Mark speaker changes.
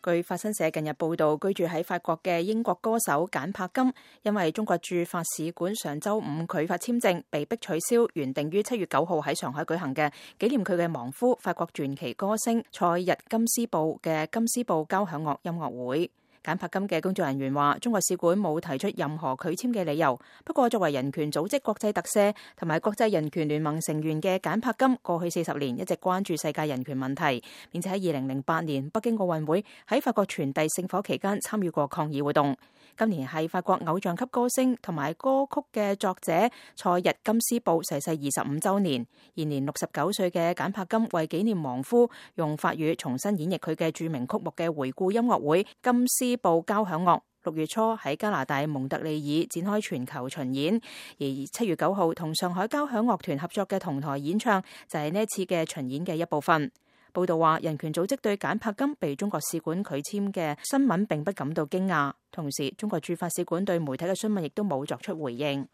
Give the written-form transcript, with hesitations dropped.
Speaker 1: 據法新社近日報道，居住喺法國嘅英國歌手簡柏金，因為中國駐法使館上週五拒發簽證，被迫取消原定於7月9號喺上海舉行嘅紀念佢嘅亡夫法國傳奇歌星塞日金斯布嘅金斯布交響樂音樂會。簡柏金嘅工作人員話，中國使館冇提出任何拒簽嘅理由。不過，作為人權組織國際特赦同埋國際人權聯盟成員嘅簡柏金，過去40年一直關注世界人權問題，並且喺2008年北京奧運會喺法國傳遞聖火期間參與過抗議活動。今年係法國偶像級歌星同埋歌曲嘅作者塞日金斯布逝世25週年，現年69歲嘅簡柏金為紀念亡夫，用法語重新演繹佢嘅著名曲目嘅回顧音樂會金斯布交響樂，6月初喺加拿大蒙特利爾展開全球巡演，而7月9號同上海交響樂團合作嘅同台演唱就係呢一次嘅巡演嘅一部分。報道話，人權組織對簡柏金被中國使館拒簽嘅新聞並不感到驚訝，同時中國駐法使館對媒體嘅詢問亦都冇作出回應。